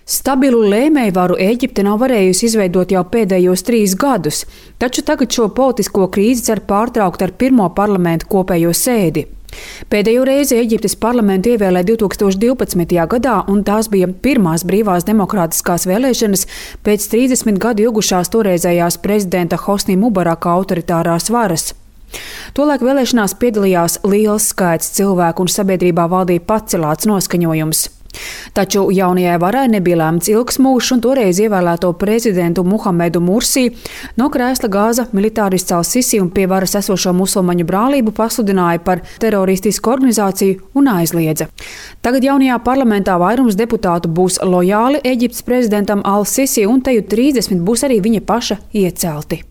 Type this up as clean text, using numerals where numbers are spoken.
Stabilu lēmējvaru Ēģipte nav varējusi izveidot jau pēdējos 3 gadus, taču tagad šo politisko krīzi cer pārtraukt ar pirmo parlamentu kopējo sēdi. Pēdējo reizi Ēģiptes parlamentu ievēlēja 2012. gadā, un tās bija pirmās brīvās demokrātiskās vēlēšanas pēc 30 gadu ilgušās toreizējās prezidenta Hosni Mubaraka autoritārās varas. Tolaik vēlēšanās piedalījās liels skaits cilvēku un sabiedrībā valdīja pacelāts noskaņojums. Taču jaunajai varai nebija lemts ilgs mūžs, un toreiz ievēlēto prezidentu Muhamedu Mursī no krēsla gāza militārists Al-Sisi un pie varas esošo musulmaņu brālību pasludināja par teroristisku organizāciju un aizliedza. Tagad jaunajā parlamentā vairums deputātu būs lojāli Ēģiptes prezidentam Al-Sisi, un teju 30 būs arī viņa paša iecelti.